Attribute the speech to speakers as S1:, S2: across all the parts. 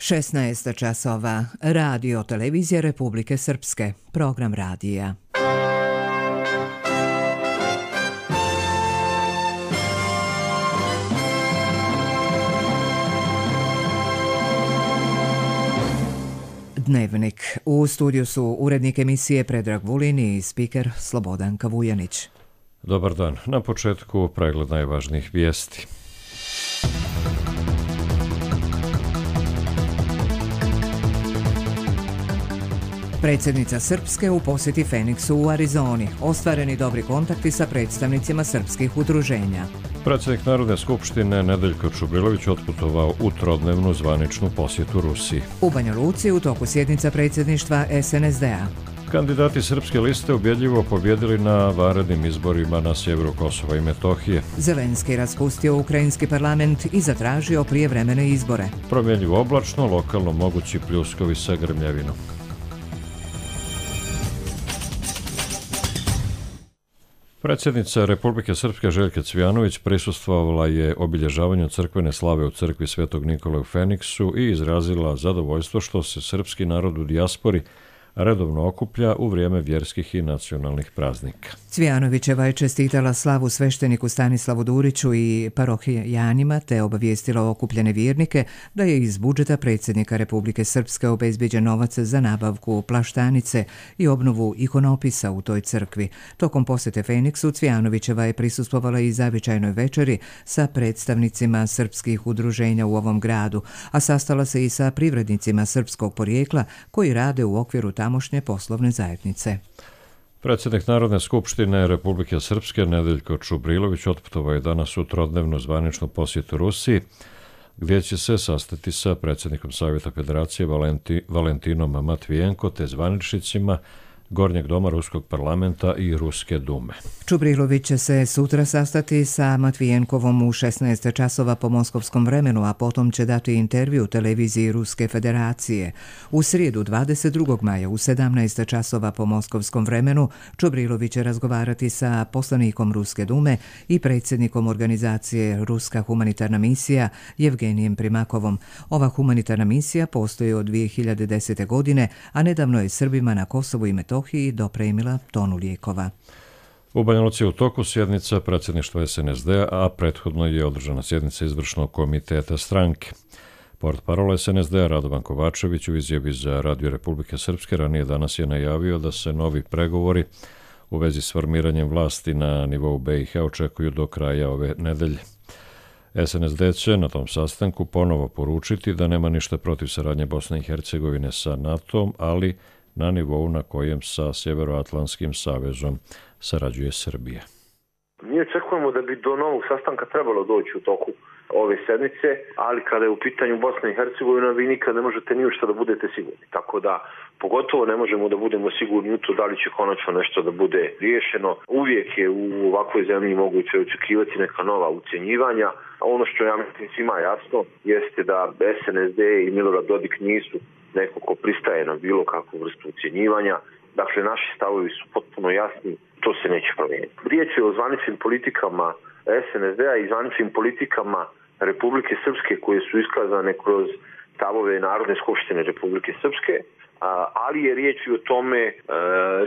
S1: 16 časova. Radio televizije Republike Srpske. Program radija. Dnevnik. U studiju su urednik emisije Predrag Vulin i spiker Slobodanka Vujanić.
S2: Dobar dan. Na početku pregled najvažnijih vijesti.
S1: Predsjednica Srpske u posjeti Feniksu u Arizoni. Ostvareni dobri kontakti sa predstavnicima srpskih udruženja.
S2: Predsjednik Narodne skupštine Nedeljko Čubrilović otputovao u trodnevnu zvaničnu posjetu Rusiji.
S1: U Banja Luci u toku sjednica predsjedništva SNSD-a.
S2: Kandidati srpske liste ubjedljivo pobjedili na vanrednim izborima na sjeveru Kosova i Metohije.
S1: Zelenski raspustio ukrajinski parlament i zatražio prijevremene izbore.
S2: Promjenjivo oblačno, lokalno mogući pljuskovi sa grmljavinom. Predsjednica Republike Srpske Željka Cvijanović prisustvovala je obilježavanju crkvene slave u crkvi Svetog Nikole u Feniksu i izrazila zadovoljstvo što se srpski narod u dijaspori redovno okuplja u vrijeme vjerskih i nacionalnih praznika.
S1: Cvijanovićeva je čestitala slavu svešteniku Stanislavu Duriću i parohijanima te obavijestila okupljene vjernike da je iz budžeta predsjednika Republike Srpske obezbijeđen novac za nabavku plaštanice i obnovu ikonopisa u toj crkvi. Tokom posjete Feniksu Cvijanovićeva je prisustvovala i zavičajnoj večeri sa predstavnicima srpskih udruženja u ovom gradu, a sastala se i sa privrednicima srpskog porijekla koji rade u okviru tamošnje poslovne zajednice.
S2: Predsjednik Narodne skupštine Republike Srpske Nedeljko Čubrilović otputovao je danas u trodnevnu zvaničnu posjetu Rusiji, gdje će se sastati sa predsjednikom Savjeta Federacije Valentinom Matvijenko te zvaničnicima Gornjeg doma Ruskog parlamenta i Ruske dume.
S1: Čubrilović će se sutra sastati sa Matvijenkovom u 16 časova po moskovskom vremenu, a potom će dati intervju televiziji Ruske federacije. U srijedu 22. maja u 17 časova po moskovskom vremenu Čubrilović će razgovarati sa poslanikom Ruske dume i predsjednikom organizacije Ruska humanitarna misija Jevgenijem Primakovom. Ova humanitarna misija postoji od 2010. godine, a nedavno je Srbima na Kosovu i Metohiji dopremila tonu lijekova.
S2: U Banja Luci je u toku sjednica predsjedništva SNSD-a, a prethodno je održana sjednica izvršnog komiteta stranke. Portparol SNSD-a Radovan Kovačević u izjavi za Radio Republike Srpske ranije danas je najavio da se novi pregovori u vezi s formiranjem vlasti na nivou BiH očekuju do kraja ove nedelje. SNSD će na tom sastanku ponovo poručiti da nema ništa protiv saradnje Bosne i Hercegovine sa NATO-om, ali na nivou na kojem sa Sjeveroatlantskim savezom sarađuje Srbija.
S3: Mi očekujemo da bi do novog sastanka trebalo doći u toku ove sedmice, ali kada je u pitanju Bosna i Hercegovina, vi nikad ne možete ni u što da budete sigurni. Tako da, pogotovo ne možemo da budemo sigurni u to da li će konačno nešto da bude riješeno. Uvijek je u ovakvoj zemlji moguće očekivati neka nova ucjenjivanja. A ono što ja mislim svima jasno jeste da SNSD i Milorad Dodik nisu neko ko pristaje na bilo kakvu vrstu ucjenjivanja. Dakle, naši stavovi su potpuno jasni, to se neće promijeniti. Riječ je o zvaničnim politikama SNSD-a i zvaničnim politikama Republike Srpske koje su iskazane kroz stavove Narodne skupštine Republike Srpske, ali je riječ i o tome,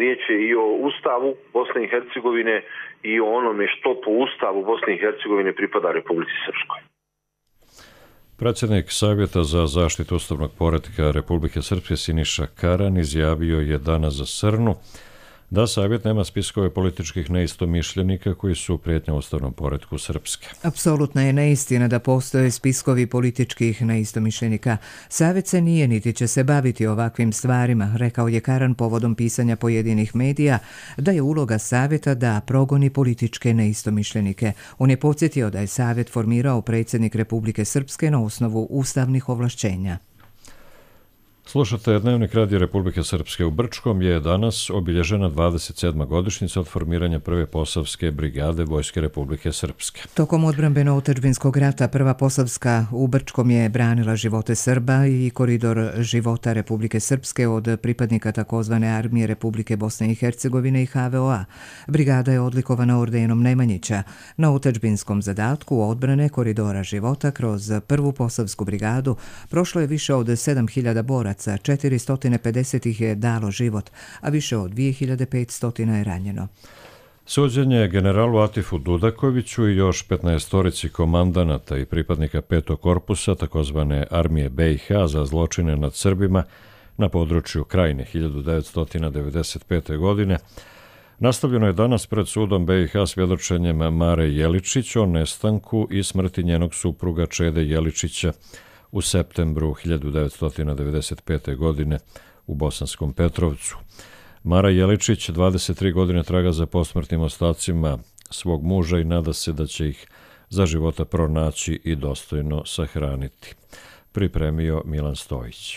S3: riječ je i o Ustavu Bosne i Hercegovine i o onome što po Ustavu Bosne i Hercegovine pripada Republici Srpskoj.
S2: Predsjednik Savjeta za zaštitu ustavnog poretka Republike Srpske Siniša Karan izjavio je danas za Srnu da Savjet nema spiskove političkih neistomišljenika koji su prijetnja ustavnom poretku Srpske.
S1: Apsolutna je neistina da postoje spiskovi političkih neistomišljenika. Savjet se nije niti će se baviti ovakvim stvarima, rekao je Karan povodom pisanja pojedinih medija da je uloga Savjeta da progoni političke neistomišljenike. On je podsjetio da je Savjet formirao predsjednik Republike Srpske na osnovu ustavnih ovlašćenja.
S2: Slušate Dnevnik Radija Republike Srpske. U Brčkom je danas obilježena 27. godišnjica od formiranja prve Posavske brigade Vojske Republike Srpske.
S1: Tokom odbrambeno-otadžbinskog rata prva Posavska u Brčkom je branila živote Srba i koridor života Republike Srpske od pripadnika takozvane armije Republike Bosne i Hercegovine i HVO-a. Brigada je odlikovana ordenom Nemanjića. Na otadžbinskom zadatku odbrane koridora života kroz prvu Posavsku brigadu prošlo je više od 7000 boraca, 450 ih je dalo život, a više od 2500 je ranjeno.
S2: Suđenje generalu Atifu Dudakoviću i još 15 komandanata i pripadnika 5. korpusa takozvane armije BiH za zločine nad Srbima na području Krajine 1995. godine nastavljeno je danas pred sudom BiH svjedočenjem Mare Jeličić o nestanku i smrti njenog supruga Čede Jeličića u septembru 1995. godine u Bosanskom Petrovcu. Mara Jeličić 23 godine traga za posmrtnim ostacima svog muža i nada se da će ih za života pronaći i dostojno sahraniti. Pripremio Milan Stojić.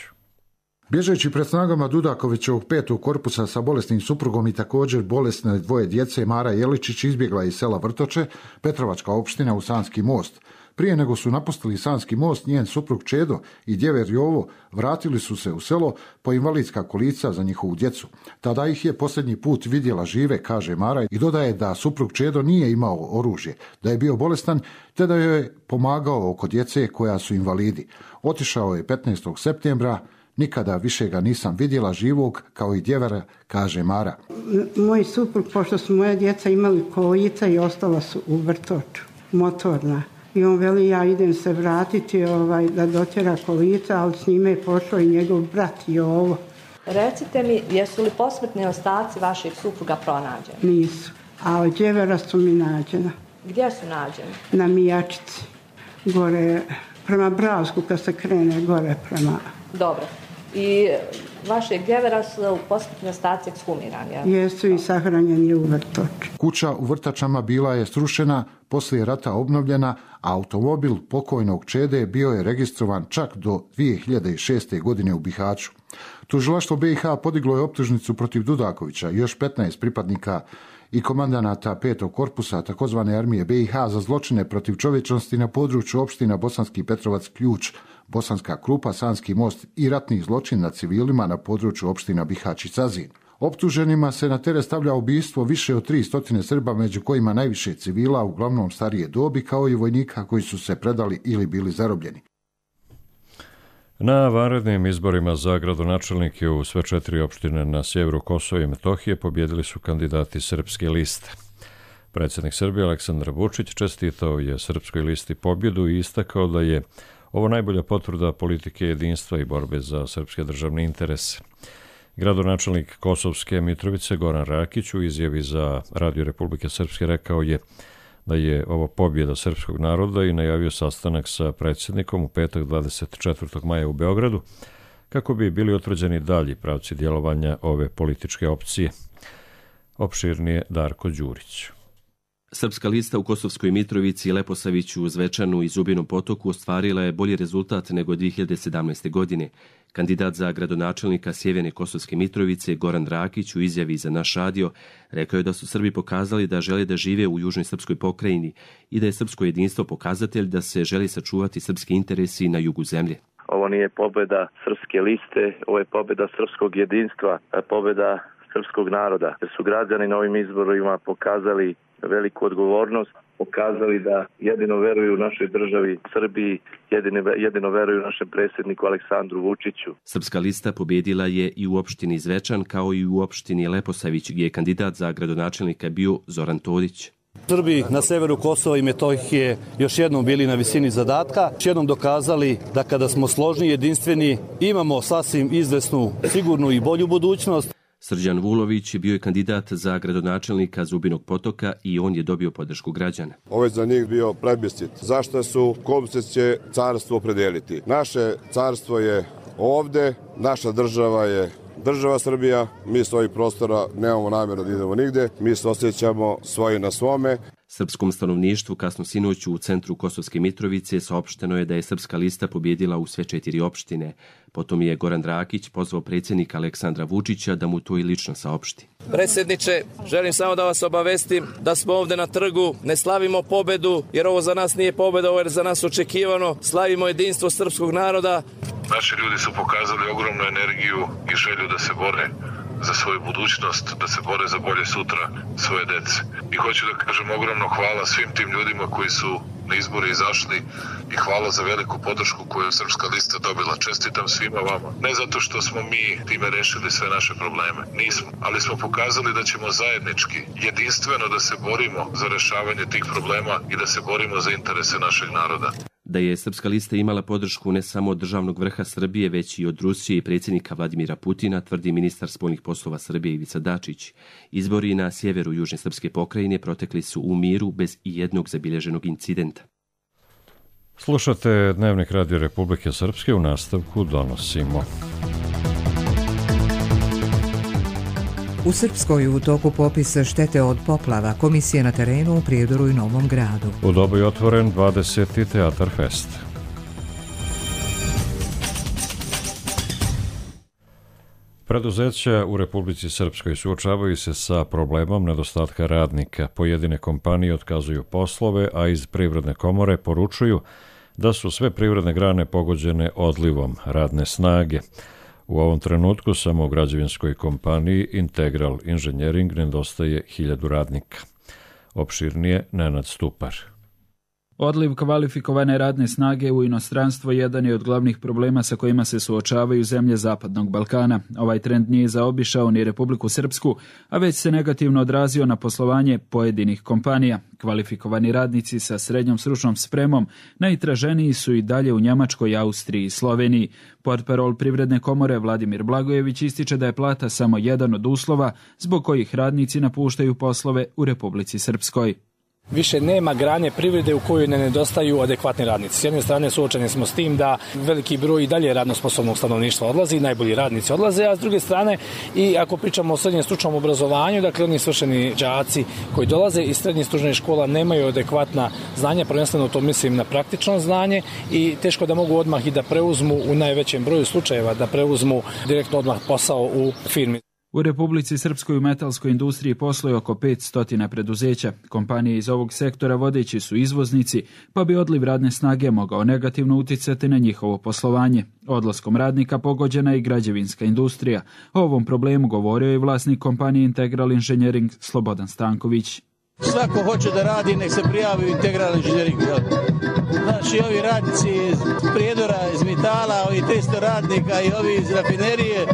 S4: Bježeći pred snagama Dudakovićevog 5. korpusa sa bolesnim suprugom i također bolesne dvoje djece, Mara Jeličić izbjegla iz sela Vrtoče, Petrovačka opština, u Sanski most. Prije nego su napustili Sanski most, njen suprug Čedo i djever Jovo vratili su se u selo po invalidska kolica za njihovu djecu. Tada ih je posljednji put vidjela žive, kaže Mara, i dodaje da suprug Čedo nije imao oružje, da je bio bolestan, te da joj je pomagao oko djece koja su invalidi. Otišao je 15. septembra, nikada više ga nisam vidjela živog kao i djevera, kaže Mara.
S5: Moj suprug, pošto su moja djeca imali kolica i ostala su u Vrtoču, motorna. I on veli, ja idem se vratiti da dotjera kolica, ali s njime je pošao i njegov brat Jovo.
S6: Recite mi, jesu li posmrtni ostaci vašeg supruga pronađeni?
S5: Nisu, ali djevera su mi nađena.
S6: Gdje su nađeni?
S5: Na Mijačici, gore prema Bravsku, kad se krene gore prema...
S6: Dobro. I vašeg djevera su posmrtni ostaci ekshumirani? Ja?
S5: Jesu i sahranjeni u Vrtoču.
S4: Kuća u Vrtačama bila je srušena, poslije rata obnovljena, a automobil pokojnog Čede bio je registrovan čak do 2006. godine u Bihaću. Tužilaštvo BiH podiglo je optužnicu protiv Dudakovića i još 15 pripadnika i komandanata 5. korpusa takozvane armije BiH za zločine protiv čovječnosti na području opština Bosanski Petrovac, Ključ, Bosanska Krupa, Sanski most i ratnih zločin nad civilima na području opština Bihać i Cazin. Optuženima se na teret stavlja ubistvo više od 300 Srba, među kojima najviše civila, uglavnom starije dobi, kao i vojnika koji su se predali ili bili zarobljeni.
S2: Na vanrednim izborima za gradonačelnike u sve 4 opštine na sjeveru Kosova i Metohije pobjedili su kandidati Srpske liste. Predsjednik Srbije Aleksandar Vučić čestitao je Srpskoj listi pobjedu i istakao da je ovo najbolja potvrda politike jedinstva i borbe za srpske državne interese. Gradonačelnik Kosovske Mitrovice Goran Rakić u izjavi za Radio Republike Srpske rekao je da je ovo pobjeda srpskog naroda i najavio sastanak sa predsjednikom u petak 24. maja u Beogradu kako bi bili utvrđeni dalji pravci djelovanja ove političke opcije. Opširnije Darko Đurić.
S7: Srpska lista u Kosovskoj Mitrovici, Leposaviću, Zvečanu i Zubinom Potoku ostvarila je bolji rezultat nego 2017. godine. Kandidat za gradonačelnika Sjeverne Kosovske Mitrovice, Goran Rakić, u izjavi za naš radio, rekao je da su Srbi pokazali da žele da žive u južnoj srpskoj pokrajini i da je srpsko jedinstvo pokazatelj da se želi sačuvati srpski interesi na jugu zemlje.
S8: Ovo nije pobjeda Srpske liste, ovo je pobjeda srpskog jedinstva, pobjeda srpskog naroda. Jer su građani na ovim izborima pokazali veliku odgovornost, pokazali da jedino veruju našoj državi Srbiji, jedino veruju našem predsjedniku Aleksandru Vučiću.
S7: Srpska lista pobjedila je i u opštini Zvečan kao i u opštini Leposavić, gdje je kandidat za gradonačelnika bio Zoran Todić.
S9: Srbi na severu Kosova i Metohije još jednom bili na visini zadatka, još jednom dokazali da kada smo složni, jedinstveni, imamo sasvim izvesnu, sigurnu i bolju budućnost.
S7: Srđan Vulović bio je kandidat za gradonačelnika Zubinog Potoka i on je dobio podršku građana.
S10: Ovo je za njih bio plebiscit. Zašto su, kom se će carstvo opredeliti? Naše carstvo je ovde, naša država je država Srbija, mi s ovih prostora nemamo namjeru da idemo nigde, mi se osjećamo svoji na svome.
S7: Srpskom stanovništvu kasno sinoć u centru Kosovske Mitrovice saopšteno je da je Srpska lista pobjedila u sve 4 opštine. Potom je Goran Drakić pozvao predsjednika Aleksandra Vučića da mu to i lično saopšti.
S11: Predsjedniče, želim samo da vas obavestim da smo ovdje na trgu, ne slavimo pobedu, jer ovo za nas nije pobeda, ovo je za nas očekivano. Slavimo jedinstvo srpskog naroda.
S12: Naši ljudi su pokazali ogromnu energiju i želju da se bore za svoju budućnost, da se bore za bolje sutra svoje dece. I hoću da kažem ogromno hvala svim tim ljudima koji su na izbore izašli i hvala za veliku podršku koju je Srpska lista dobila. Čestitam svima vama. Ne zato što smo mi time rešili sve naše probleme. Nismo. Ali smo pokazali da ćemo zajednički, jedinstveno da se borimo za rešavanje tih problema i da se borimo za interese našeg naroda.
S7: Da je Srpska lista imala podršku ne samo od državnog vrha Srbije, već i od Rusije i predsjednika Vladimira Putina, tvrdi ministar spoljnih poslova Srbije Ivica Dačić. Izbori na sjeveru južne srpske pokrajine protekli su u miru bez ijednog zabilježenog incidenta.
S2: Slušate Dnevnik Radio Republike Srpske, u nastavku donosimo.
S1: U Srpskoj u toku popisa štete od poplava, komisije na terenu u Prijedoru i Novom Gradu.
S2: U Dobu je otvoren 20. Teatar Fest. Preduzeća u Republici Srpskoj suočavaju se sa problemom nedostatka radnika. Pojedine kompanije otkazuju poslove, a iz Privredne komore poručuju da su sve privredne grane pogođene odlivom radne snage. U ovom trenutku samo u građevinskoj kompaniji Integral Engineering nedostaje 1000 radnika. Opširnije Nenad Stupar.
S13: Odliv kvalifikovane radne snage u inostranstvo jedan je od glavnih problema sa kojima se suočavaju zemlje Zapadnog Balkana. Ovaj trend nije zaobišao ni Republiku Srpsku, a već se negativno odrazio na poslovanje pojedinih kompanija. Kvalifikovani radnici sa srednjom stručnom spremom najtraženiji su i dalje u Njemačkoj, Austriji i Sloveniji. Portparol Privredne komore Vladimir Blagojević ističe da je plata samo jedan od uslova zbog kojih radnici napuštaju poslove u Republici Srpskoj.
S14: Više nema grane privrede u kojoj ne nedostaju adekvatni radnici. S jedne strane suočeni smo s tim da veliki broj i dalje radno sposobnog stanovništva odlazi, najbolji radnici odlaze, a s druge strane i ako pričamo o srednjem stručnom obrazovanju, dakle oni svršeni đaci koji dolaze iz srednjih stručnih škola nemaju adekvatna znanja, prvenstveno to mislim na praktično znanje i teško da mogu odmah i da preuzmu u najvećem broju slučajeva, da preuzmu direktno odmah posao u firmi.
S13: U Republici Srpskoj u metalskoj industriji posluje oko 500 preduzeća. Kompanije iz ovog sektora vodeći su izvoznici, pa bi odliv radne snage mogao negativno uticati na njihovo poslovanje. Odlaskom radnika pogođena je i građevinska industrija. O ovom problemu govorio je vlasnik kompanije Integral Engineering Slobodan Stanković.
S15: Svako hoće da radi, nek se prijavi u Integral Engineering. Znači, ovi radnici iz Prijedora, iz Mitala, ovi 300 radnika i ovi iz rafinerije,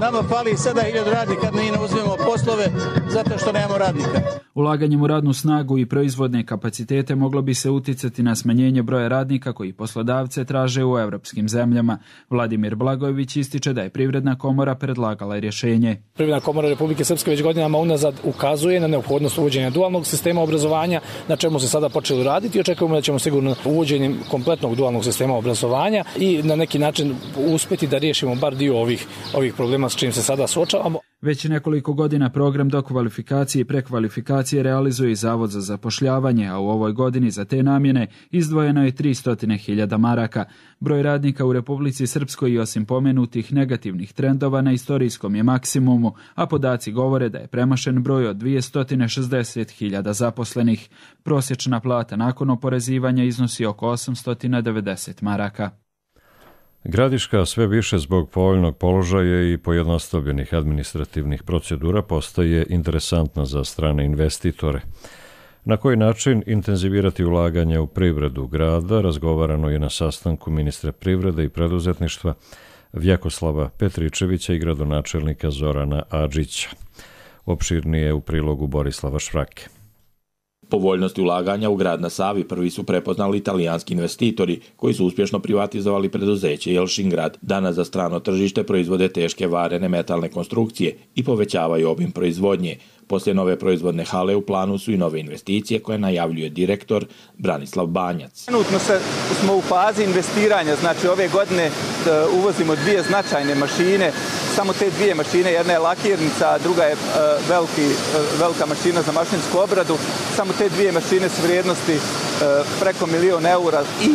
S15: nama fali sada 1000 radnika, mi ne uzmemo poslove zato što nemamo radnika.
S13: Ulaganjem u radnu snagu i proizvodne kapacitete moglo bi se uticati na smanjenje broja radnika koji poslodavce traže u evropskim zemljama. Vladimir Blagojević ističe da je Privredna komora predlagala rješenje.
S14: Privredna komora Republike Srpske već godinama unazad ukazuje na neophodnost uvođenja dualnog sistema obrazovanja, na čemu se sada počelo raditi i očekujemo da ćemo sigurno uvođenjem kompletnog dualnog sistema obrazovanja i na neki način uspjeti da riješimo bar dio ovih problema s čim se sada suočavamo.
S13: Već nekoliko godina program dokvalifikacije i prekvalifikacije realizuje i Zavod za zapošljavanje, a u ovoj godini za te namjene izdvojeno je 300.000 maraka. Broj radnika u Republici Srpskoj i osim pomenutih negativnih trendova na istorijskom je maksimumu, a podaci govore da je premašen broj od 260.000 zaposlenih. Prosječna plata nakon oporezivanja iznosi oko 890 maraka.
S2: Gradiška sve više zbog povoljnog položaja i pojednostavljenih administrativnih procedura postaje interesantna za strane investitore. Na koji način intenzivirati ulaganja u privredu grada razgovarano je na sastanku ministra privrede i preduzetništva Vjekoslava Petričevića i gradonačelnika Zorana Adžića. Opširnije u prilogu Borislava Švrake.
S16: Povoljnosti ulaganja u grad na Savi prvi su prepoznali italijanski investitori koji su uspješno privatizovali preduzeće Jelšingrad. Danas za strano tržište proizvode teške varene metalne konstrukcije i povećavaju obim proizvodnje. Poslije nove proizvodne hale u planu su i nove investicije koje najavljuje direktor Branislav Banjac.
S17: Trenutno smo u fazi investiranja, znači ove godine uvozimo 2 značajne mašine samo te dvije mašine, jedna je lakirnica, druga je velika mašina za mašinsku obradu, samo te dvije mašine su vrijednosti preko 1.000.000 eura i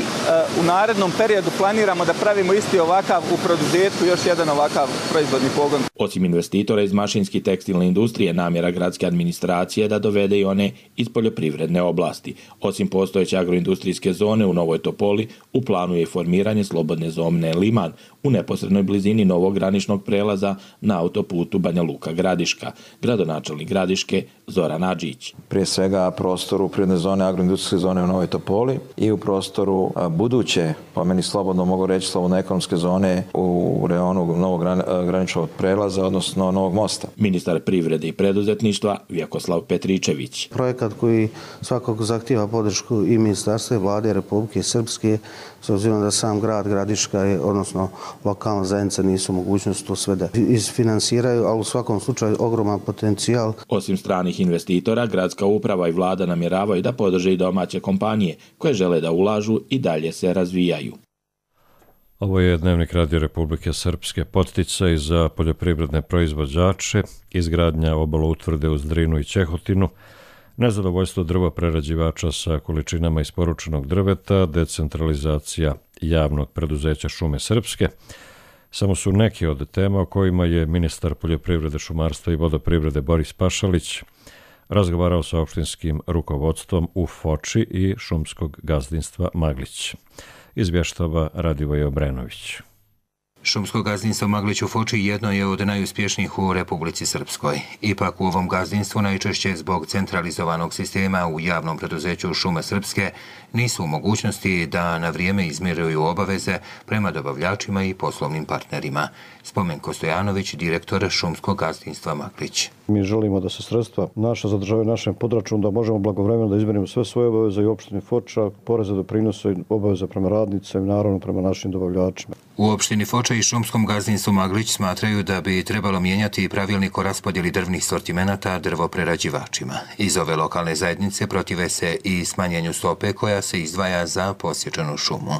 S17: u narednom periodu planiramo da pravimo isti ovakav u produžetku, još jedan ovakav proizvodni pogon.
S16: Osim investitora iz mašinske i tekstilne industrije, namjera gradske administracije je da dovede i one iz poljoprivredne oblasti. Osim postojeće agroindustrijske zone u Novoj Topoli, u planu je formiranje slobodne zone Liman u neposrednoj blizini novog graničnog prelaza na autoputu Banja Luka-Gradiška. Gradonačelnik Gradiške Zoran Adžić.
S18: Prije svega prostoru prirodne zone, agroindustrijske zone u Novoj Topoli i u prostoru buduće, po meni slobodno mogu reći, slobodno ekonomske zone u reonu novog graničnog prelaza, odnosno novog mosta.
S16: Ministar privrede i preduzetništva Vjekoslav Petričević.
S19: Projekat koji svakako zahtijeva podršku i ministarstva i vlade Republike Srpske, s obzirom da sam grad Gradiška, odnosno lokalna zajednica, nisu mogućnosti to sve da isfinansiraju, ali u svakom slučaju ogroman potencijal.
S16: Osim stranih investitora, gradska uprava i vlada namjeravaju da podrže i domaće kompanije koje žele da ulažu i dalje se razvijaju.
S2: Ovo je Dnevnik Radio Republike Srpske. Podsticaj za poljoprivredne proizvođače, izgradnja obaloutvrde uz Drinu i Ćehotinu, nezadovoljstvo drvoprerađivača sa količinama isporučenog drveta, decentralizacija javnog preduzeća Šume Srpske. Samo su neki od tema o kojima je ministar poljoprivrede, šumarstva i vodoprivrede Boris Pašalić razgovarao sa opštinskim rukovodstvom u Foči i šumskog gazdinstva Maglić. Izvještava Radivoj Obrenović.
S20: Šumsko gazdinstvo Maglić u Foči jedno je od najuspješnijih u Republici Srpskoj. Ipak u ovom gazdinstvu najčešće zbog centralizovanog sistema u javnom preduzeću Šume Srpske nisu u mogućnosti da na vrijeme izmiruju obaveze prema dobavljačima i poslovnim partnerima. Spomenko Stojanović, direktor Šumskog gazdinstva Maglić.
S21: Mi želimo da se sredstva naša zadržavaju našem podračunu, da možemo blagovremeno da izmirimo sve svoje obaveze i opštini Foča, poreze, doprinose i obaveze prema radnicima i naravno prema našim dobavljačima.
S20: U opštini Foča i Šumskom gazdinstvu Maglić smatraju da bi trebalo mijenjati pravilnik o raspodjeli drvnih sortimenata drvoprerađivačima. Iz ove lokalne zajednice protive se i smanjenju stope koja se izdvaja za posječenu šumu.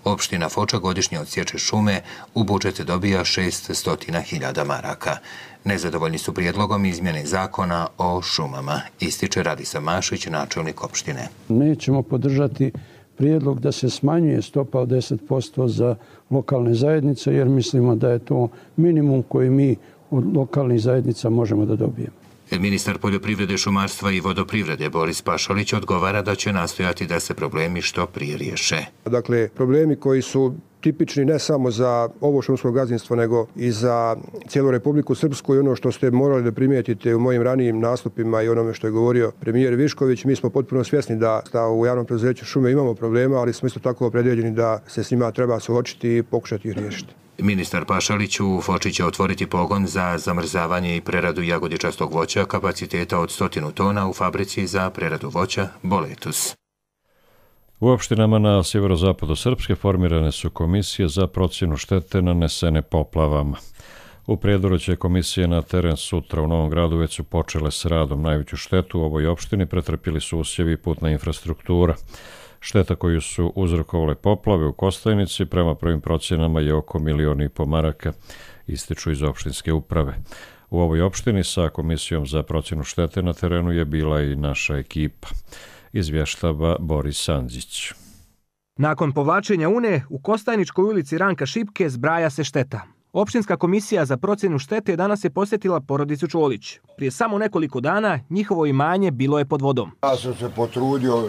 S20: Opština Foča godišnje odsječe šume, u budžet dobija 600.000 maraka. Nezadovoljni su prijedlogom izmjene zakona o šumama, ističe Radisa Mašić, načelnik opštine.
S22: Nećemo podržati prijedlog da se smanjuje stopa od 10% za lokalne zajednice, jer mislimo da je to minimum koji mi od lokalnih zajednica možemo da dobijemo.
S20: Ministar poljoprivrede, šumarstva i vodoprivrede Boris Pašalić odgovara da će nastojati da se problemi što prije riješe.
S23: Dakle, problemi koji su tipični ne samo za ovo šumsko gazdinstvo, nego i za cijelu Republiku Srpsku i ono što ste morali da primijetite u mojim ranijim nastupima i onome što je govorio premijer Višković, mi smo potpuno svjesni da u javnom preduzeću šume imamo problema, ali smo isto tako opredjeljeni da se s njima treba suočiti i pokušati ih riješiti.
S20: Ministar Pašalić u Foči će otvoriti pogon za zamrzavanje i preradu jagodičastog voća kapaciteta od 100 tona u fabrici za preradu voća Boletus.
S2: U opštinama na sjeverozapadu Srpske formirane su komisije za procjenu štete nanesene poplavama. U Prijedoru će komisije na teren sutra. U Novom Gradu već su počele s radom. Najveću štetu u ovoj opštini pretrpili su usjevi i putna infrastruktura. Šteta koju su uzrokovale poplave u Kostajnici prema prvim procjenama je oko 1,5 miliona maraka, ističu iz opštinske uprave. U ovoj opštini sa komisijom za procjenu štete na terenu je bila i naša ekipa. Izvještava Boris Sanđić.
S24: Nakon povlačenja Une, u Kostajničkoj ulici Ranka Šipke zbraja se šteta. Opštinska komisija za procjenu štete danas je posjetila porodicu Čolić. Prije samo nekoliko dana njihovo imanje bilo je pod vodom.
S25: Ja sam se potrudio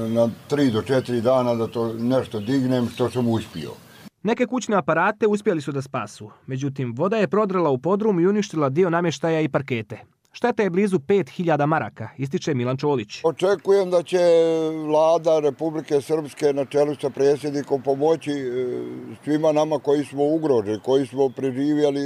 S25: na 3 do 4 dana da to nešto dignem, što sam uspio.
S24: Neke kućne aparate uspjeli su da spasu. Međutim, voda je prodrla u podrum i uništila dio namještaja i parkete. Šteta je blizu 5.000 maraka, ističe Milan Čolić.
S25: Očekujem da će vlada Republike Srpske na čelu sa predsjednikom pomoći svima nama koji smo ugroženi, koji smo preživjeli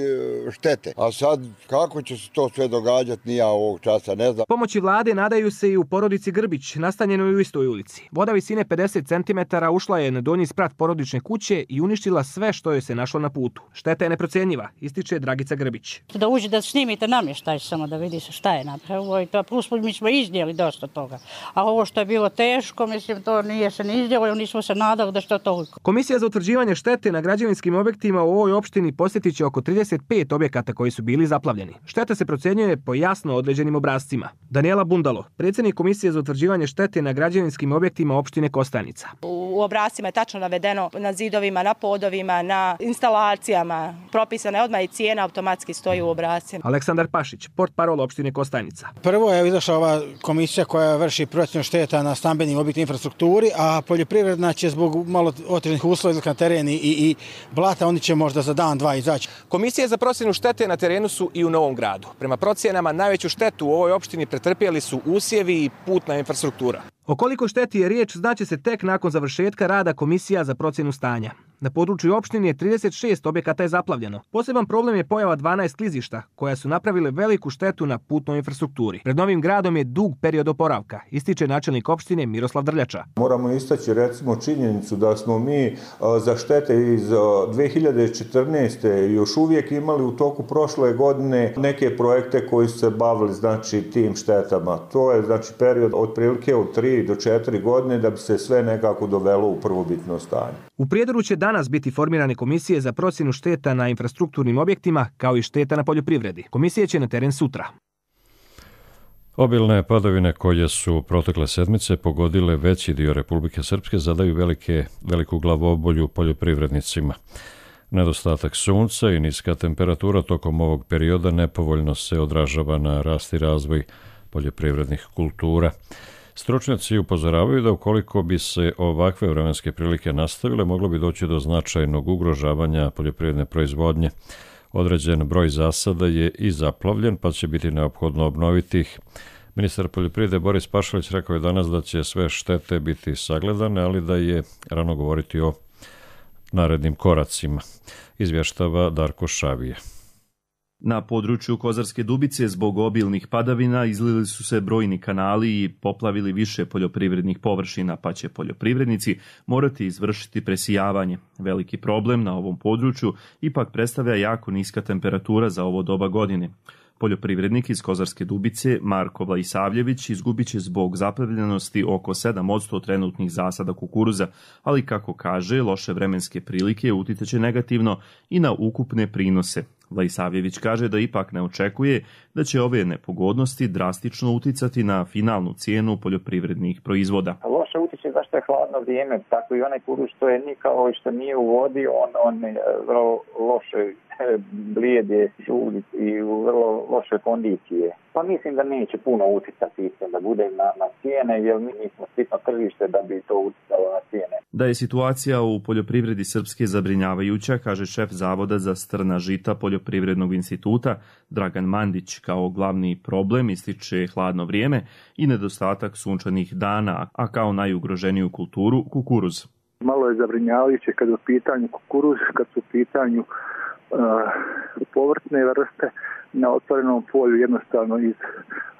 S25: štete. A sad, kako će se to sve događati, ni ja ovog časa ne znam.
S24: Pomoći vlade nadaju se i u porodici Grbić, nastanjenoj u istoj ulici. Voda visine 50 cm ušla je na donji sprat porodične kuće i uništila sve što joj se našlo na putu. Šteta je neprocjenjiva, ističe Dragica Grbić.
S26: Da uđe da snimite namještaj samo da vidiš
S3: se šta je napravilo i to plus mi smo iznijeli dosta toga. A ovo što je bilo teško, mislim, to nije se ni iznijelo, nismo se nadali da što toliko.
S24: Komisija za utvrđivanje štete na građevinskim objektima u ovoj opštini posjetit će oko 35 objekata koji su bili zaplavljeni. Šteta se procjenjuje po jasno određenim obrascima. Daniela Bundalo, predsjednik Komisije za utvrđivanje štete na građevinskim objektima opštine Kostajnica.
S4: U obrascima je tačno navedeno na zidovima, na podovima, na instalacijama. Propisana je odmah i cijena, automatski stoji u obrascima.
S24: Aleksandar Pašić, portparol opštine Kostajnica.
S5: Prvo je izašla ova komisija koja vrši procjenu šteta na stambenim objektima infrastrukturi, a poljoprivredna će zbog malo otežanih uslova na terenu i blata, oni će možda za dan, dva izaći.
S24: Komisije za procjenu štete na terenu su i u Novom Gradu. Prema procjenama najveću štetu u ovoj opštini pretrpjeli su usjevi i putna infrastruktura. O koliko šteti je riječ znaće se tek nakon završetka rada Komisija za procjenu stanja. Na području opštine je 36 objekata je zaplavljeno. Poseban problem je pojava 12 klizišta koja su napravile veliku štetu na putnoj infrastrukturi. Pred Novim Gradom je dug period oporavka, ističe načelnik opštine Miroslav Drljača.
S6: Moramo istaći recimo činjenicu da smo mi za štete iz 2014. još uvijek imali u toku prošle godine neke projekte koji su se bavili znači tim štetama. To je znači period otprilike od 3 do 4 godine da bi se sve nekako dovelo u prvobitno stanje.
S24: U Prijedoru će danas biti formirane komisije za procjenu šteta na infrastrukturnim objektima kao i šteta na poljoprivredi. Komisije će na teren sutra.
S2: Obilne padavine koje su protekle sedmice pogodile veći dio Republike Srpske zadaju veliku glavobolju poljoprivrednicima. Nedostatak sunca i niska temperatura tokom ovog perioda nepovoljno se odražava na rast i razvoj poljoprivrednih kultura. Stručnjaci upozoravaju da ukoliko bi se ovakve vremenske prilike nastavile, moglo bi doći do značajnog ugrožavanja poljoprivredne proizvodnje. Određen broj zasada je i zaplavljen, pa će biti neophodno obnoviti ih. Ministar poljoprivrede Boris Pašalić rekao je danas da će sve štete biti sagledane, ali da je rano govoriti o narednim koracima. Izvještava Darko Šavije.
S8: Na području Kozarske Dubice zbog obilnih padavina izlili su se brojni kanali i poplavili više poljoprivrednih površina, pa će poljoprivrednici morati izvršiti presijavanje. Veliki problem na ovom području ipak predstavlja jako niska temperatura za ovo doba godine. Poljoprivrednik iz Kozarske Dubice, Marko Vlajsavljević, izgubit će zbog zaplavljenosti oko 7% trenutnih zasada kukuruza, ali kako kaže, loše vremenske prilike utjecaće negativno i na ukupne prinose. Vlajsavljević kaže da ipak ne očekuje da će ove nepogodnosti drastično uticati na finalnu cijenu poljoprivrednih proizvoda.
S26: Loše utječe zašto je hladno vrijeme, tako i onaj kukuruz što je nikao i što nije u vodi, on vrlo loše blijede i u vrlo loše kondicije. Pa mislim da neće puno utjecati da bude na cijene, jer mi nismo sitno tržište da bi to utjecalo na cijene.
S8: Da je situacija u poljoprivredi Srpske zabrinjavajuća, kaže šef Zavoda za strna žita Poljoprivrednog instituta Dragan Mandić. Kao glavni problem ističe hladno vrijeme i nedostatak sunčanih dana, a kao najugroženiju kulturu kukuruz.
S27: Malo je zabrinjavajuće kad je u pitanju kukuruz, kad su u pitanju povrtne vrste na otvorenom polju, jednostavno iz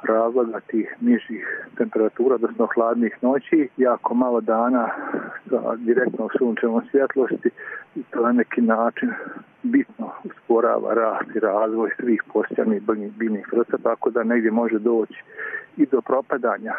S27: razloga tih nižih temperatura, odnosno hladnih noći, jako malo dana sa direktnom sunčevom svjetlosti i to na neki način bitno usporava rast i razvoj svih postojanih biljnih vrsta, tako da negdje može doći i do propadanja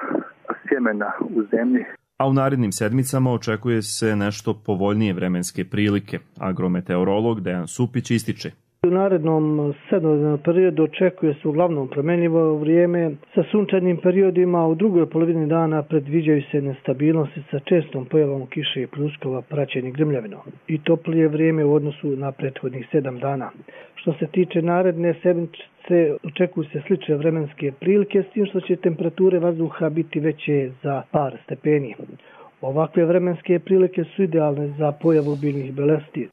S27: sjemena u zemlji.
S8: A u narednim sedmicama očekuje se nešto povoljnije vremenske prilike. Agrometeorolog Dejan Supić ističe.
S28: U narednom sedmodnevnom periodu očekuje se uglavnom promjenjivo vrijeme sa sunčanim periodima, u drugoj polovini dana predviđaju se nestabilnosti sa čestom pojavom kiše i pljuskova praćenih grmljavinom i toplije vrijeme u odnosu na prethodnih 7 dana. Što se tiče naredne sedmice, očekuju se slične vremenske prilike, s tim što će temperature vazduha biti veće za par stepeni. Ovakve vremenske prilike su idealne za pojavu biljnih bolesti.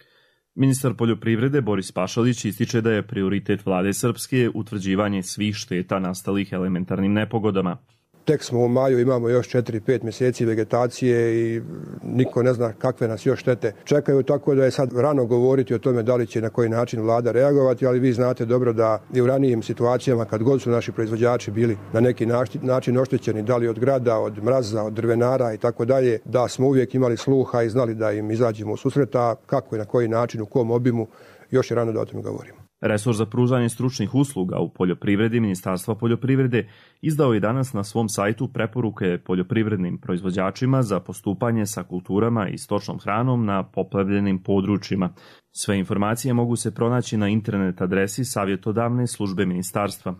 S8: Ministar poljoprivrede Boris Pašalić ističe da je prioritet vlade Srpske utvrđivanje svih šteta nastalih elementarnim nepogodama.
S23: Tek smo u maju, imamo još 4-5 mjeseci vegetacije i niko ne zna kakve nas još štete čekaju, tako da je sad rano govoriti o tome da li će na koji način vlada reagovati, ali vi znate dobro da i u ranijim situacijama kad god su naši proizvođači bili na neki način oštećeni, da li od grada, od mraza, od drvenara i tako dalje, da smo uvijek imali sluha i znali da im izađemo u susret, a kako i na koji način, u kom obimu, još je rano da o tome govorimo.
S8: Resor za pružanje stručnih usluga u poljoprivredi Ministarstva poljoprivrede izdao je danas na svom sajtu preporuke poljoprivrednim proizvođačima za postupanje sa kulturama i stočnom hranom na poplavljenim područjima. Sve informacije mogu se pronaći na internet adresi savjetodavne službe ministarstva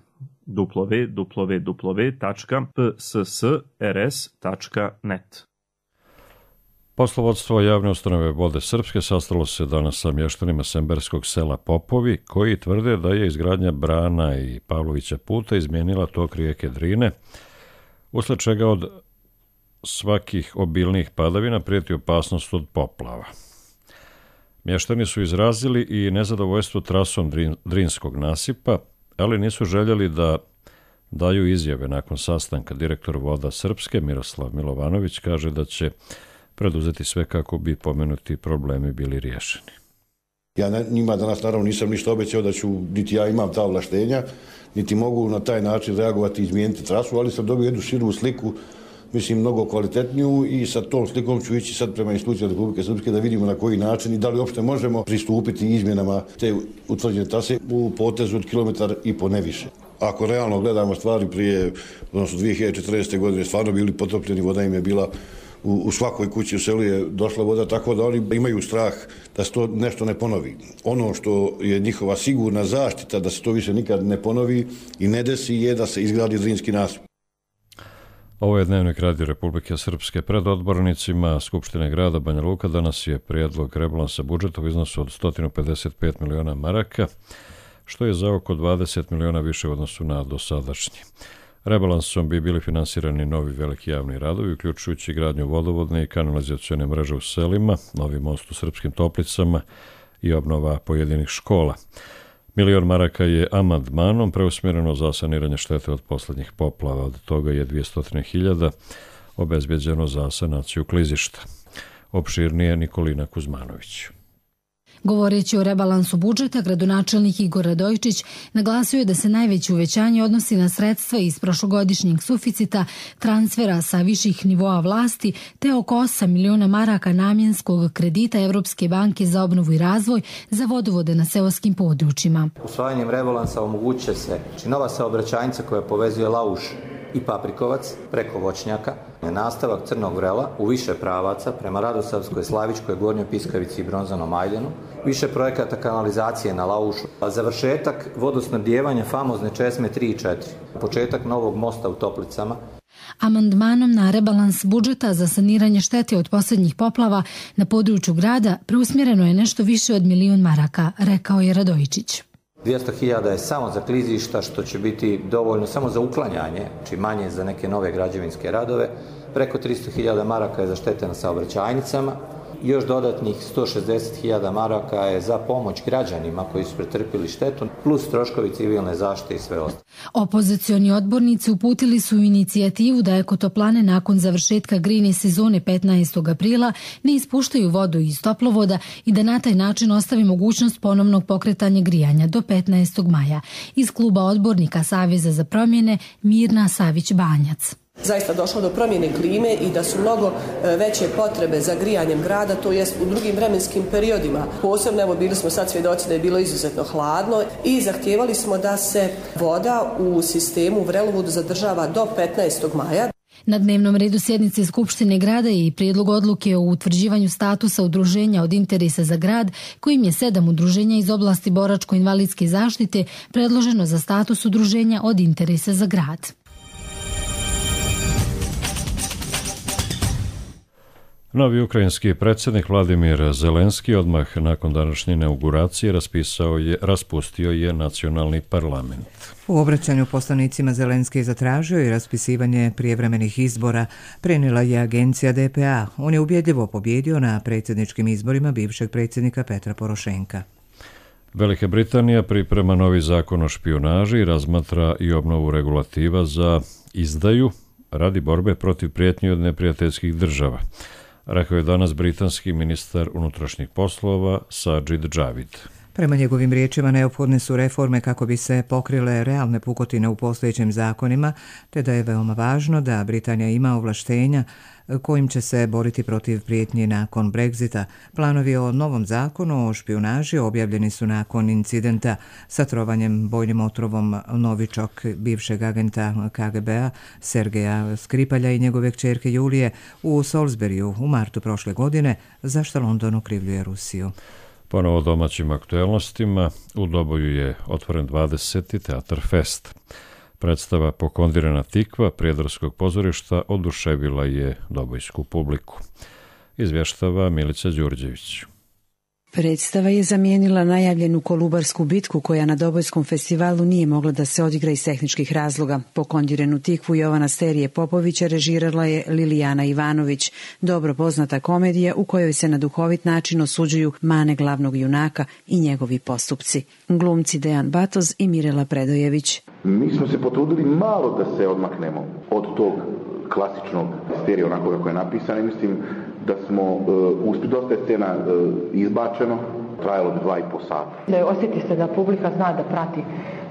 S8: www.pssrs.net.
S2: Poslovodstvo javne ustanove Vode Srpske sastalo se danas sa mještanima semberskog sela Popovi, koji tvrde da je izgradnja brana i Pavlovića puta izmijenila tok rijeke Drine, usled čega od svakih obilnih padavina prijeti opasnost od poplava. Mještani su izrazili i nezadovoljstvo trasom Drinskog nasipa, ali nisu željeli da daju izjave nakon sastanka. Direktor Voda Srpske Miroslav Milovanović kaže da će preduzeti sve kako bi pomenuti problemi bili riješeni.
S1: Ja njima danas naravno nisam ništa obećao da ću, niti ja imam ta ovlaštenja, niti mogu na taj način reagovati i izmijeniti trasu, ali sam dobio jednu širu sliku, mislim mnogo kvalitetniju, i sa tom slikom ću ići sad prema institucijama Republike Srpske da vidimo na koji način i da li uopšte možemo pristupiti izmjenama te utvrđene trase u potezu od 1,5 km ne više. Ako realno gledamo stvari prije, odnosno 2014. godine, stvarno bili potopljeni, voda im je bila u svakoj kući u selu je došla voda, tako da oni imaju strah da se to nešto ne ponovi. Ono što je njihova sigurna zaštita da se to više nikad ne ponovi i ne desi je da se izgradi Drinski nasip.
S2: Ovo je Dnevnik Radio Republike Srpske. Pred odbornicima Skupštine grada Banja Luka danas je prijedlog rebalansa budžeta u iznosu od 155 miliona maraka, što je za oko 20 miliona više u odnosu na dosadašnji. Rebalansom bi bili finansirani novi veliki javni radovi, uključujući gradnju vodovodne i kanalizacione mreže u selima, novi most u Srpskim Toplicama i obnova pojedinih škola. 1 milion maraka je amandmanom preusmjereno za saniranje štete od posljednjih poplava, od toga je 200.000 obezbjeđeno za sanaciju klizišta. Opširnije Nikolina Kuzmanović.
S7: Govoreći o rebalansu budžeta, gradonačelnik Igor Radojičić naglasio je da se najveće uvećanje odnosi na sredstva iz prošlogodišnjeg suficita, transfera sa viših nivoa vlasti, te oko 8 miliona maraka namjenskog kredita Evropske banke za obnovu i razvoj za vodovode na seoskim područjima.
S9: Usvajanjem rebalansa omogućit će se nova saobraćajnica koja povezuje Lauš i Paprikovac preko Voćnjaka, nastavak Crnog vrela u više pravaca prema Radosavskoj, Slavičkoj, Gornjoj Piskavici i Bronzanom Ajdenu, više projekata kanalizacije na Laušu, a završetak vodosnabdijevanja famozne česme 3 i 4, početak novog mosta u Toplicama.
S7: Amandmanom na rebalans budžeta za saniranje štete od posljednjih poplava na području grada preusmjereno je nešto više od 1 milion maraka, rekao je Radojičić.
S9: 200.000 je samo za klizišta, što će biti dovoljno samo za uklanjanje, či manje za neke nove građevinske radove. Preko 300.000 maraka je za štete na saobraćajnicama. Još dodatnih 160.000 maraka je za pomoć građanima koji su pretrpili štetu, plus troškovi civilne zaštite i sve ostalo.
S7: Opozicioni odbornici uputili su inicijativu da ekotoplane nakon završetka grejne sezone 15. aprila ne ispuštaju vodu iz toplovoda i da na taj način ostavi mogućnost ponovnog pokretanja grijanja do 15. maja. Iz kluba odbornika Saveza za promjene Mirna Savić-Banjac.
S10: Zaista došlo do promjene klime i da su mnogo veće potrebe za grijanjem grada, to jest u drugim vremenskim periodima. Posebno, evo, bili smo sad svjedoci da je bilo izuzetno hladno i zahtijevali smo da se voda u sistemu Vrelovodu zadržava do 15. maja.
S7: Na dnevnom redu sjednice Skupštine grada je i prijedlog odluke o utvrđivanju statusa udruženja od interesa za grad, kojim je 7 udruženja iz oblasti boračko-invalidske zaštite predloženo za status udruženja od interesa za grad.
S2: Novi ukrajinski predsjednik Vladimir Zelenski odmah nakon današnje inauguracije raspustio je nacionalni parlament.
S11: U obraćanju poslanicima Zelenski je zatražio i raspisivanje prijevremenih izbora, prenijela je agencija DPA. On je ubjedljivo pobjedio na predsjedničkim izborima bivšeg predsjednika Petra Porošenka.
S2: Velika Britanija priprema novi zakon o špijunaži i razmatra i obnovu regulativa za izdaju radi borbe protiv prijetnji od neprijateljskih država, rekao je danas britanski ministar unutrašnjih poslova Sajid Javid.
S11: Prema njegovim riječima neophodne su reforme kako bi se pokrile realne pukotine u postojećim zakonima, te da je veoma važno da Britanija ima ovlaštenja kojim će se boriti protiv prijetnji nakon Brexita. Planovi o novom zakonu o špijunaži objavljeni su nakon incidenta sa trovanjem bojnim otrovom Novičok, bivšeg agenta KGB-a Sergeja Skripalja i njegove kćerke Julije u Salisburyu u martu prošle godine, za što London okrivljuje Rusiju.
S2: Ponovo domaćim aktuelnostima, u Doboju je otvoren 20. Teatar Fest. Predstava Pokondirana tikva Prijedarskog pozorišta oduševila je dobojsku publiku. Izvještava Milica Đurđević.
S12: Predstava je zamijenila najavljenu Kolubarsku bitku koja na Dobojskom festivalu nije mogla da se odigra iz tehničkih razloga. Pokondiranu tikvu Jovana Sterije Popovića režirala je Lilijana Ivanović, dobro poznata komedija u kojoj se na duhovit način osuđuju mane glavnog junaka i njegovi postupci. Glumci Dejan Batoz i Mirela Predojević.
S13: Mi smo se potrudili malo da se odmaknemo od tog klasičnog stereo onako kako je napisano i mislim da smo dosta je scena izbačeno, trajalo bi 2,5 sata.
S14: Osjeti se da publika zna da prati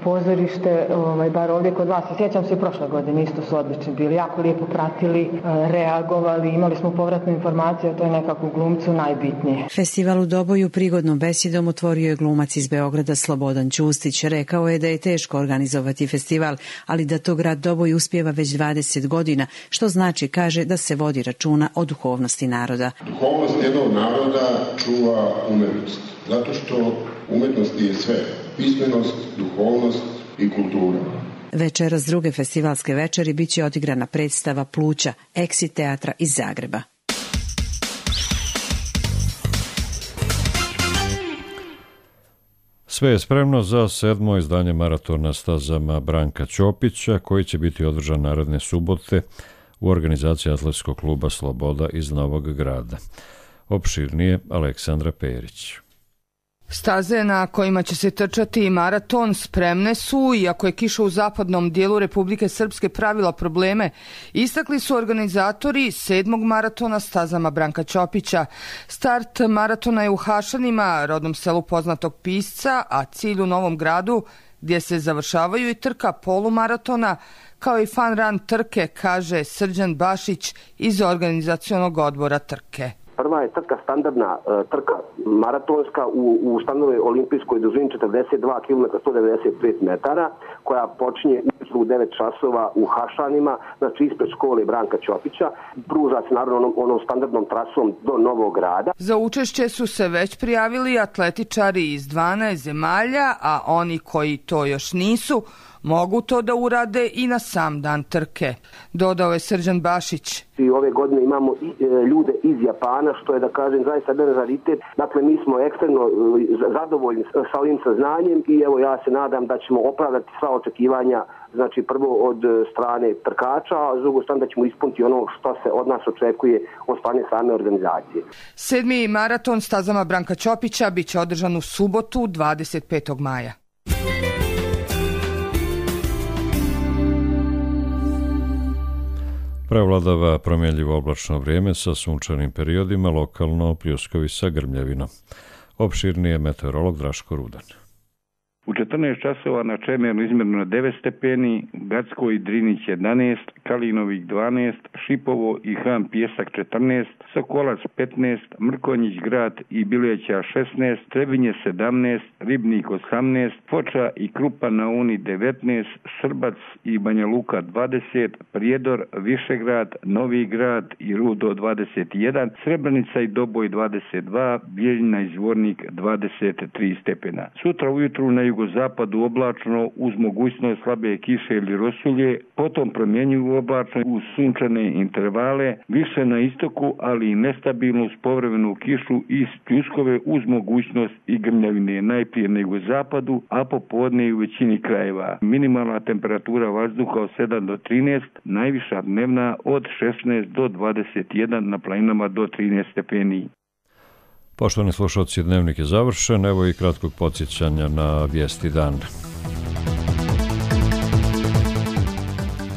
S14: pozorište, bar ovdje kod vas. Sjećam se i prošle godine, isto su odlični bili, jako lijepo pratili, reagovali, imali smo povratnu informaciju, a to je nekako u glumcu najbitnije.
S12: Festival u Doboju prigodnom besedom otvorio je glumac iz Beograda Slobodan Ćustić. Rekao je da je teško organizovati festival, ali da to grad Doboj uspijeva već 20 godina, što znači, kaže, da se vodi računa o duhovnosti naroda.
S15: Duhovnost jednog naroda čuva umetnost, zato što umetnost je sve. Pismenost, duhovnost i kultura.
S12: Večeras druge festivalske večeri bit će odigrana predstava Pluća, Exit teatra iz Zagreba.
S2: Sve je spremno za 7. izdanje maratona stazama Branka Ćopića, koji će biti održan naredne subote u organizaciji Atletskog kluba Sloboda iz Novog Grada. Opširnije Aleksandra Perić.
S16: Staze na kojima će se trčati maraton spremne su, iako je kiša u zapadnom dijelu Republike Srpske pravila probleme, istakli su organizatori 7. maratona stazama Branka Ćopića. Start maratona je u Hašanima, rodnom selu poznatog pisca, a cilj u Novom Gradu, gdje se završavaju i trka polumaratona, kao i fan run trke, kaže Srđan Bašić iz organizacionog odbora trke.
S17: Prva je trka standardna, trka maratonska u standardnoj olimpijskoj dužini 42 km 195 metara, koja počinje u 9 časova u Hašanima, znači ispred škole Branka Ćopića. Pruža se naravno onom standardnom trasom do Novog Grada.
S16: Za učešće su se već prijavili atletičari iz 12 zemalja, a oni koji to još nisu, mogu to da urade i na sam dan trke, dodao je Srđan Bašić.
S17: I ove godine imamo ljude iz Japana, što je, da kažem, zaista jedan raritet. Dakle, mi smo ekstremno zadovoljni sa ovim saznanjem i evo ja se nadam da ćemo opravdati sva očekivanja, znači prvo od strane trkača, a s drugo strane da ćemo ispuniti ono što se od nas očekuje od strane same organizacije.
S16: 7. maraton stazama Branka Ćopića biće održan u subotu 25. maja.
S2: Prevladava promjenljivo oblačno vrijeme sa sunčanim periodima, lokalno pljuskovi sa grmljavinom. Opširnije meteorolog Draško Rudan.
S18: U 14 časova na Čemernu izmjereno 9 stepeni, Gacko i Drinić 11, Kalinovik 12, Šipovo i Han Pjesak 14, Sokolac 15, Mrkonjić Grad i Bileća 16, Trebinje 17, Ribnik 18, Foča i Krupa na Uni 19, Srbac i Banja Luka 20, Prijedor, Višegrad, Novi Grad i Rudo 21, Srebrenica i Doboj 22, Bijeljina i Zvornik 23 stepena. Sutra ujutru na jugozapadu oblačno uz mogućnost slabe kiše ili rosulje, potom promjenjivo oblačno uz sunčane intervale, više na istoku, ali i nestabilnu uz povremenu kišu i pljuskove uz mogućnost i grmljavine, najprije na jugozapadu, a popodne i u većini krajeva. Minimalna temperatura vazduha od 7 do 13, najviša dnevna od 16 do 21, na planinama do 13 stepeni.
S2: Poštovani slušalci, dnevnik je završen, evo i kratkog podsjećanja na vijesti dana.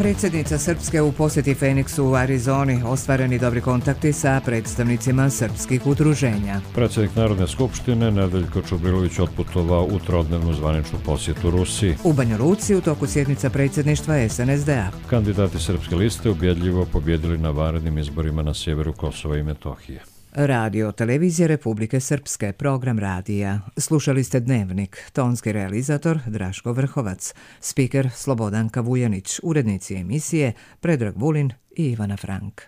S11: predsjednica Srpske u posjeti Feniksu u Arizoni, ostvareni dobri kontakti sa predstavnicima srpskih udruženja.
S2: Predsjednik Narodne skupštine Nedeljko Čubrilović otputovao u trodnevnu zvaničnu posjetu Rusiji.
S11: U Banja Luci u toku sjednica predsjedništva SNSD-a.
S2: Kandidati Srpske liste ubjedljivo pobjedili na vanrednim izborima na sjeveru Kosova i Metohije.
S11: Radio Televizije Republike Srpske, program radija. Slušali ste Dnevnik, tonski realizator Draško Vrhovac, spiker Slobodanka Vujanić, urednici emisije Predrag Vulin i Ivana Frank.